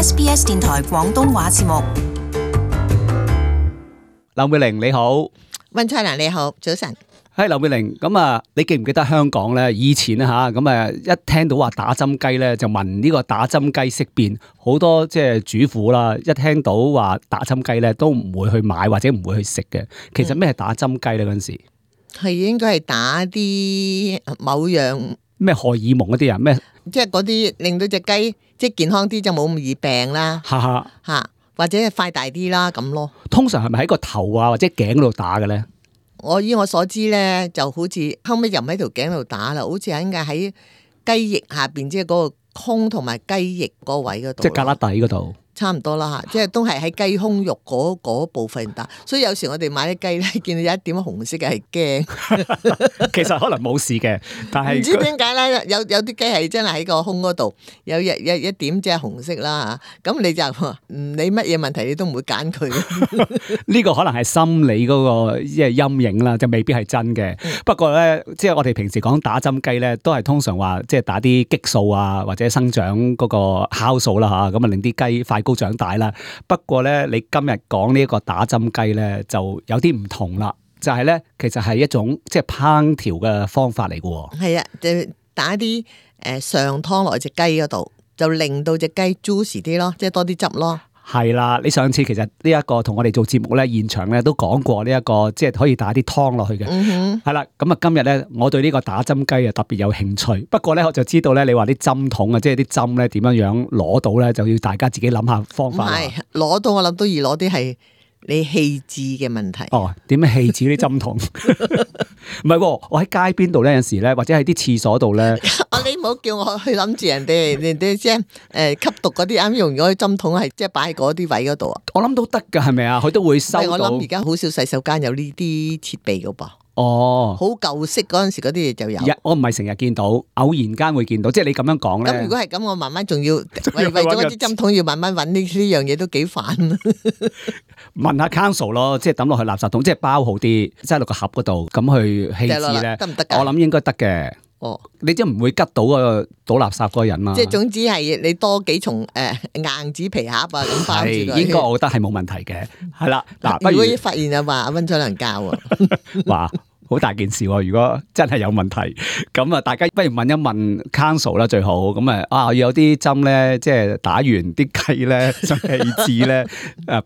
SBS 電台廣東話節目。劉美玲你好，溫翠蘭你好，早晨。係劉美玲，咁啊，你記唔記得香港咧以前啊吓，咁啊一聽到話打針雞咧，就聞呢個打針雞色變，好多即係主婦啦，一聽到話打針雞咧，都唔會去買或者唔會去食嘅。其實咩係打針雞咧？嗰陣時係應該係打啲某樣咩荷爾蒙嗰啲啊？咩即係嗰啲令到隻雞即係健康啲，就冇咁易病啦，哈哈吓或者係快大啲啦咁咯。通常係咪喺個頭啊或者頸嗰度打嘅咧？以我所知咧，就好似後尾又唔喺條頸度打啦，好似喺雞翼下邊，即係嗰個胸同埋雞翼嗰位嗰度，即係胳肋底嗰度。差唔多啦吓，即係都係喺雞胸肉嗰部分打，所以有時我哋買啲雞咧，見到有一點紅色嘅係驚。其實可能冇事嘅，但係唔知點解咧？有啲雞係真係喺個胸嗰度有一點即係紅色啦吓，咁你就唔理乜嘢問題，你都唔會揀佢。呢個可能係心理嗰個即係陰影啦，就未必係真嘅。不過咧，即係我哋平時講打針雞咧，都係通常話即係打啲激素啊，或者生長嗰個酵素啦吓，咁啊令啲雞快高長大啦。不過咧，你今日講呢一個打針雞咧，就有啲唔同啦。就係咧，其實係一種即係烹調嘅方法嚟嘅。係啊，就打啲上湯落隻雞嗰度，就令到隻雞 juicy 啲咯，即係多啲汁咯。係啦，你上次其實呢一個同我哋做節目咧，現場咧都講過呢一個，即係可以打啲湯落去嘅。係啦，咁啊今日咧，我對呢個打針雞啊特別有興趣。不過咧，我就知道咧，你話啲針筒啊，即係啲針咧點樣樣攞到咧，就要大家自己諗下方法。唔係攞到，我諗都易攞啲係你棄置嘅問題。哦，點樣棄置啲針筒？唔係喎，我喺街邊度咧，有時咧，或者喺啲廁所度咧。你唔好叫我去諗住人哋即係吸毒嗰啲啱用嗰啲針筒係即係擺喺嗰啲位嗰度啊。我諗都得㗎，係咪啊？佢都會收到。我諗而家好少洗手間有呢啲設備㗎噃。哦，好舊式嗰陣時嗰啲嘢就有。我唔係成日見到，偶然間會見到。即係你咁樣講咧。咁如果係咁，我慢慢仲要為咗嗰啲針筒要慢慢揾呢樣嘢都幾煩。問下 council 咯，即係抌落去垃圾桶，即係包好啲，擠落個盒嗰度，咁去棄置咧，得唔得？我諗應該得嘅。哦，你即係唔會吉到個倒垃圾嗰個人嘛？即係總之係你多幾重硬紙皮盒啊咁包住佢。應該我覺得係冇問題嘅。係啦，嗱，如果發現啊話阿溫彩能教啊，話好大件事喎。如果真係有問題，咁啊，大家不如問一問 council 啦，最好。咁要有啲針咧，即係打完啲雞咧，想棄置咧，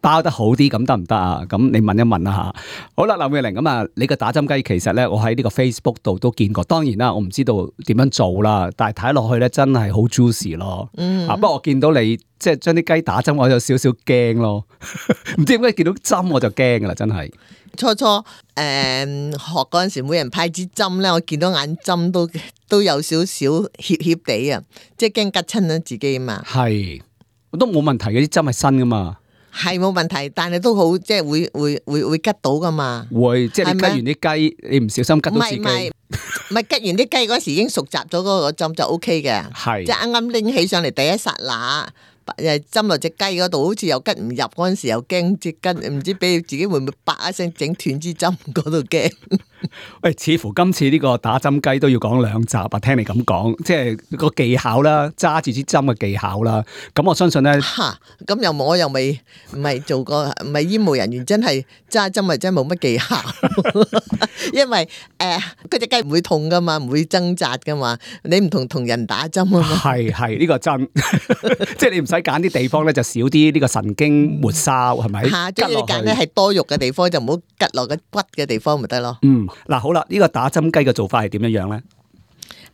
包得好啲，咁得唔得啊？咁你問一問啦吓。好啦，劉美玲，咁啊，你個打針雞其實咧，我喺呢個 Facebook 度都見過。當然啦，我唔知道點樣做啦，但係睇落去咧，真係好 juicy 咯。不過我見到你即係將啲雞打針，我有少少驚咯。唔知點解見到針我就驚噶啦，真係。初學嗰陣時，每人派支針咧，我見到眼針都有少少怯怯地啊，即係驚吉親咗自己啊嘛。係，都冇問題嘅，啲針係新噶嘛。係冇問題，但係都好，即係會吉到噶嘛。會，即係你吉完啲雞，你唔小心吉到自己。唔係吉完啲雞嗰時已經熟習咗嗰個針就 O K 嘅。係，即係啱啱拎起上嚟第一剎那。針落隻雞嗰度，好似又吉唔入嗰陣時，又驚隻雞，唔知俾自己會唔會啪一聲整斷支針嗰度驚。喂，似乎今次呢個打針雞都要講2集啊！聽你咁講，即係個技巧啦，揸住支針嘅技巧啦。咁我相信咧，咁我又未唔係做過，唔係醫務人員，真係揸針咪真係冇乜技巧。因為嗰隻雞唔會痛噶嘛，唔會掙扎噶嘛。你唔同人打針啊嘛。係呢個真，即係你唔使揀啲地方咧，就少啲呢個神經末梢，係咪？即係你揀咧係多肉嘅地方，就唔好吉落個骨嘅地方咪得咯。嗱好啦，呢個打針雞嘅做法係點樣樣咧？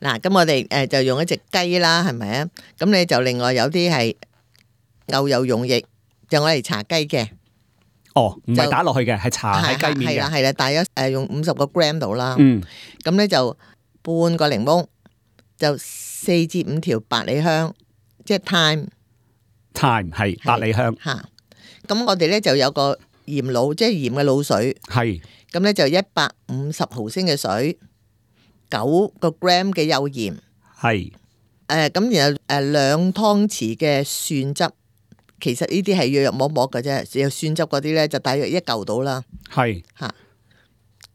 嗱，咁我哋就用一隻雞啦，係咪啊？咁你就另外有啲係牛油溶液，就我嚟搽雞嘅。哦，唔係打落去嘅，係搽喺雞面嘅。係啦，大約用50個 gram 度啦。咁咧就半個檸檬，就4至5條百里香，即係 thyme 係百里香。咁我哋咧就有個鹽滷，即係鹽嘅滷水。係。咁咧就150毫升嘅水，9個 gram 嘅幼鹽。係。咁然後2湯匙嘅蒜汁。其實呢啲係約約摸摸嘅啫，有蒜汁嗰啲咧就大約1嚿到啦。係嚇，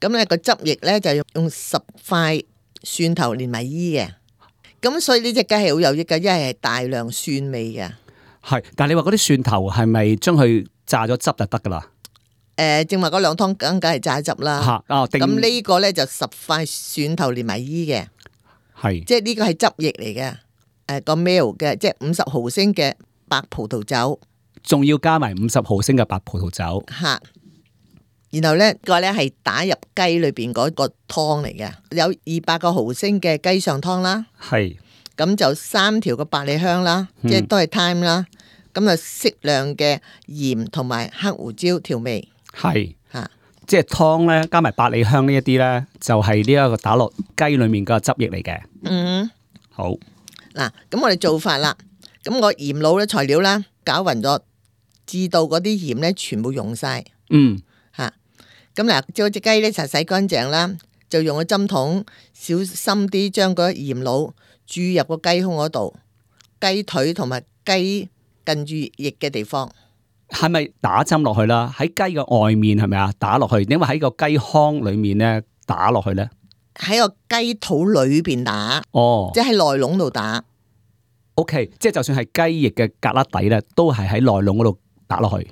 咁咧個汁液咧就用10塊蒜頭連埋衣嘅，咁所以呢隻雞係好有益嘅，因為係大量蒜味嘅。係，但係你話嗰啲蒜頭係咪將佢榨咗汁就得噶啦？正話嗰兩湯梗係榨汁啦。咁呢個咧就10塊蒜頭連埋衣嘅，係，即係呢個係汁液嚟嘅。個 ml 嘅，即係50毫升嘅白葡萄酒，仲要加埋50毫升嘅白葡萄酒。吓，然後咧個咧係打入雞裏邊嗰個湯嚟嘅，有200個毫升嘅雞上湯啦。係，咁就3條嘅百里香啦，即係都係 thyme 啦。咁啊適量嘅鹽同埋黑胡椒調味。係吓，即係湯咧加埋百里香呢一啲咧，就係呢一個打落雞裏面嘅汁液嚟嘅。嗯，好。嗱，咁我哋做法啦，咁我鹽滷咧材料啦，攪勻咗，至到嗰啲鹽咧全部溶晒。嗯，吓，咁嗱，將隻雞咧就洗乾淨啦，就用個針筒小心啲將嗰鹽滷注入個雞胸嗰度，雞腿同埋雞近住翼嘅地方。係咪打針落去啦？喺雞嘅外面係咪啊？打落去，因為喺個雞腔裏面咧打落去咧。喺個雞肚裏邊打，即係喺內籠度打。OK， 即係就算係雞翼嘅格粒底咧，都係喺內籠嗰度打落去。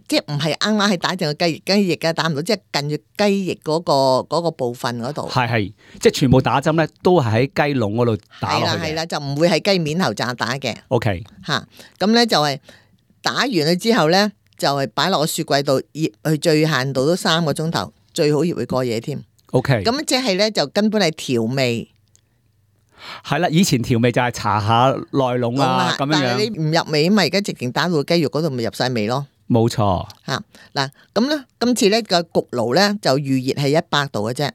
即係唔係啱啱係打正個雞翼嘅，打唔到，即係近住雞翼嗰個部分嗰度。係，即係全部打針咧，都係喺雞籠嗰度打落去嘅。係啦，就唔會喺雞面頭炸打嘅。OK，吓，咁咧就係打完佢之後咧，就係擺落個雪櫃度醃，去最限度都3個鐘頭，最好醃會過夜添。OK，咁即係咧就根本係調味，係啦。以前調味就係搽下內籠啊咁樣樣，但係你唔入味，咪而家直情打到雞肉嗰度咪入晒味咯。冇錯吓，嗱咁咧，今次咧個焗爐咧就預熱係100度嘅啫，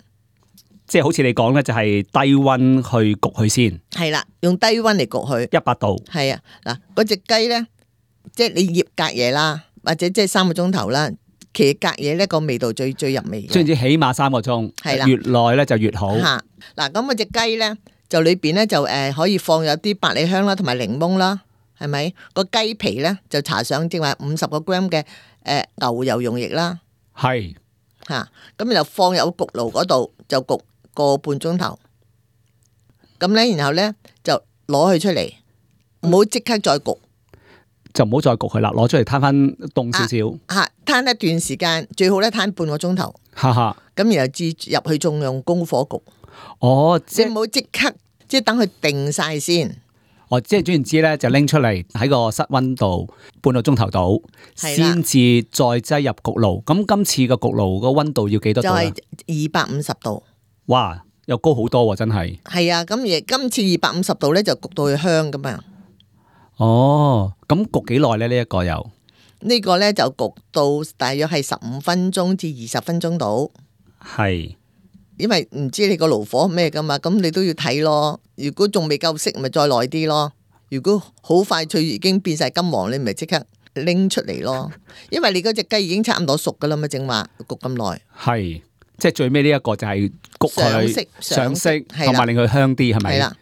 即係好似你講咧就係低溫去焗佢先。係啦，用低溫嚟焗佢100度。係啊，嗱嗰隻雞咧，即係你醃隔夜啦，或者即係3個鐘頭啦。其實隔夜咧個味道最入味嘅，總之起碼3個鐘，係啦，越耐咧就越好。吓，嗱咁嗰隻雞咧就裏邊咧就可以放有啲百里香啦，同埋檸檬啦，係咪？個雞皮咧就搽上正話50個 gram 嘅牛油溶液啦，係吓，咁就放入焗爐嗰度就焗個半鐘頭，咁咧然後咧就攞佢出嚟，唔好即刻再焗。就唔好再焗佢啦，攞出嚟攤翻凍少少。攤一段時間，最好咧攤半個鐘頭。咁然後至入去仲用高火焗。哦，即係唔好即刻，即係等佢定晒先。哦，即係總言之咧，就拎出嚟喺個室溫度半個鐘頭度，先至再擠入焗爐。咁今次個焗爐個溫度要幾多度？就係250度。哇，又高好多喎，真係。係啊，咁而今次250度咧就焗到佢香噶嘛。哦，咁焗幾耐咧？呢一個又呢個咧就焗到大約係15分鐘至20分鐘度。係，因為唔知你個爐火咩噶嘛，咁你都要睇咯。如果仲未夠色，咪再耐啲咯。如果好快脆已經變晒金黃，你咪即刻拎出嚟咯。因為你嗰隻雞已經差唔多熟噶啦嘛，正話焗咁耐。係，即係最尾呢一個就係焗佢上色，同埋令佢香啲，係咪？係啦，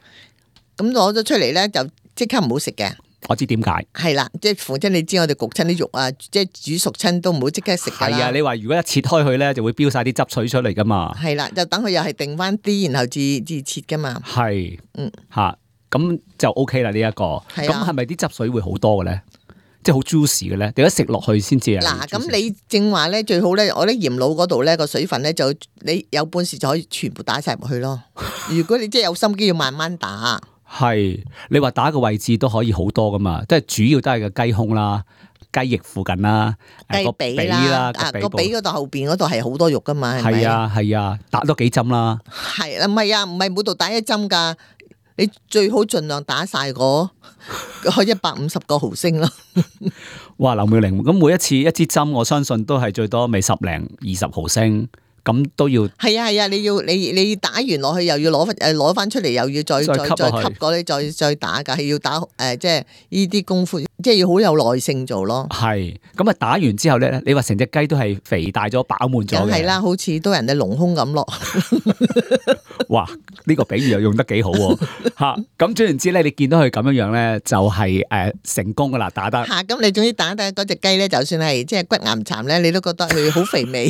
咁攞咗出嚟咧就即刻唔好食嘅。我知點解，係啦，即係逢親你知我哋焗親啲肉啊，即係煮熟親都唔好即刻食噶啦。係啊，你話如果一切開佢咧，就會飆晒啲汁水出嚟噶嘛。係啦，就等佢又係定翻啲，然後至切噶嘛。係，吓，咁就 OK 啦呢一個。咁係咪啲汁水會好多嘅咧？即係好 juicy 嘅咧？你一食落去先至啊。嗱，咁你正話咧最好咧，我啲鹽滷嗰度咧個水分咧就你有本事就可以全部打晒入去咯。如果你真係有心機要慢慢打。係，你話打個位置都可以好多噶嘛，即係主要都係個雞胸啦、雞翼附近啦、雞髀啦，個髀嗰度後邊嗰度係好多肉噶嘛，係咪？係啊，打多幾針啦。係啦，唔係啊，唔係每度打一針噶，你最好盡量打晒嗰150個毫升咯。哇，劉妙玲，咁每一次一支針，我相信都係最多咪10零20毫升。咁都要係啊，你打完落去又要攞翻出嚟，又要再吸過你再打噶，係要打即係呢啲功夫，即係要好有耐性做咯。係咁啊，打完之後咧，你話成隻雞都係肥大咗、飽滿咗嘅。梗係啦，好似都人哋隆胸咁咯。哇！呢個比喻又用得幾好喎嚇。咁總言之咧，你見到佢咁樣樣咧，就係成功噶啦，打得嚇。咁你總之打得嗰隻雞咧，就算係即係骨岩殘咧，你都覺得佢好肥美。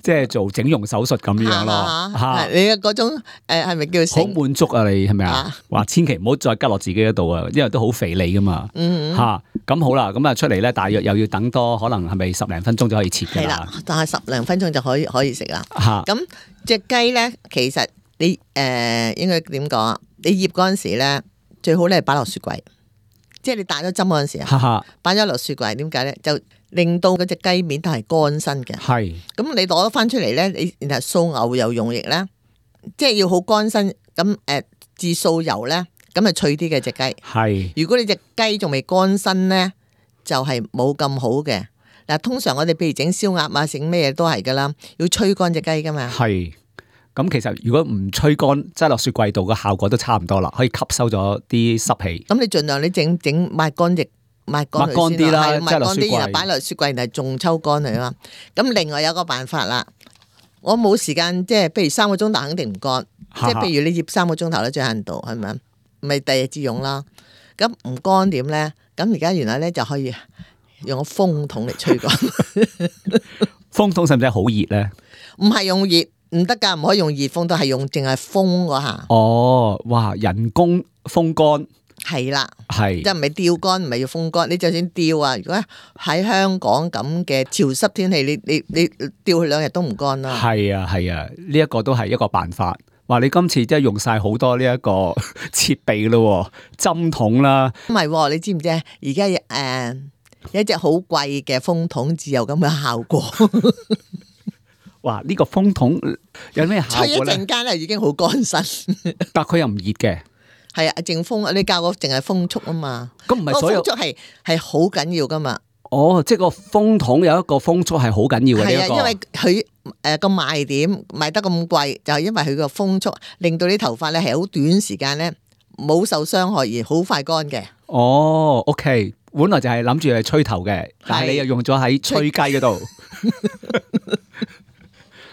即係做整容手術咁樣咯。嚇，你嘅嗰種係咪叫好滿足啊？你係咪啊？話千祈唔好再拮落自己嗰度啊，因為都好肥膩噶嘛。嚇，咁好啦，咁啊出嚟咧，大約又要等多可能係咪10零分鐘就可以切㗎啦？係啦，但係10零分鐘就可以食啦。嚇，咁隻雞咧，其實你應該點講啊？你醃嗰陣時咧，最好咧係擺落雪櫃。即係你打咗針嗰陣時啊，擺咗落雪櫃，點解咧？就令到嗰隻雞面都係乾身嘅。係，咁你攞翻出嚟咧，你然後掃牛油溶液咧，即係要好乾身。咁至掃油咧，咁啊脆啲嘅隻雞。係，如果你隻雞仲未乾身咧，就係冇咁好嘅。嗱，通常我哋譬如整燒鴨啊，整咩嘢都係噶啦，要吹乾隻雞噶嘛。係。咁其實如果唔吹乾，擠落雪櫃度嘅效果都差唔多啦，可以吸收咗啲濕氣。咁你盡量你整抹乾液，抹乾啲啦，擠落雪櫃，然後擺落雪櫃，然後仲抽乾佢啦。咁另外有個辦法啦，我冇時間，即係譬如3個鐘頭肯定唔乾，即係譬如你醃3個鐘頭咧，最限度係咪？咪第二日至用啦。咁唔乾點咧？咁而家原來咧就可以用個風筒嚟吹乾。風筒使唔使好熱咧？唔係用熱。唔得噶，唔可以用熱風，都係用淨係風嗰下。哦，哇！人工風乾係啦，係即係唔係吊乾，唔係要風乾。你就算吊啊，如果喺香港咁嘅潮濕天氣，你吊佢2日都唔乾啦。係啊係啊，呢一個都係一個辦法。哇！你今次真係用晒好多呢一個設備咯，針筒啦。唔係，你知唔知啊？而家有一隻好貴嘅風筒，只有咁嘅效果。哇！呢個風筒有咩效果咧？吹一陣間咧已經好乾身，但佢又唔熱嘅。係啊，淨風，你教我淨係風速啊嘛。咁唔係所有風速係好緊要噶嘛？哦，即係個風筒有一個風速係好緊要嘅。係啊，因為佢個賣點賣得咁貴，就係因為佢個風速令到啲頭髮咧係好短時間咧冇受傷害而好快乾嘅。哦，OK，本來就係諗住係吹頭嘅，但係你又用咗喺吹雞嗰度。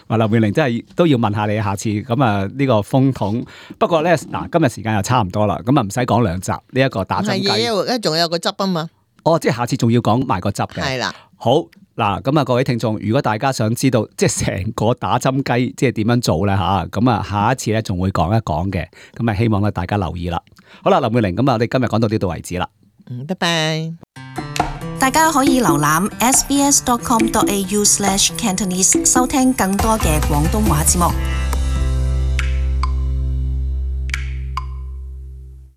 話劉妙玲真係都要問下你下次咁啊呢個風筒。不過咧嗱，今日時間又差唔多啦，咁啊唔使講2集呢一個打針雞。係仲有個汁啊嘛。哦，即係下次仲要講埋個汁嘅。係啦。好嗱，咁啊各位聽眾，如果大家想知道即係成個打針雞即係點樣做咧吓，咁啊下一次咧仲會講一講嘅，咁啊希望咧大家留意啦。好啦，劉妙玲，咁啊我哋今日講到呢度為止啦。拜拜。大家可以瀏覽 sbs.com.au/cantonese 收聽更多嘅廣東話節目。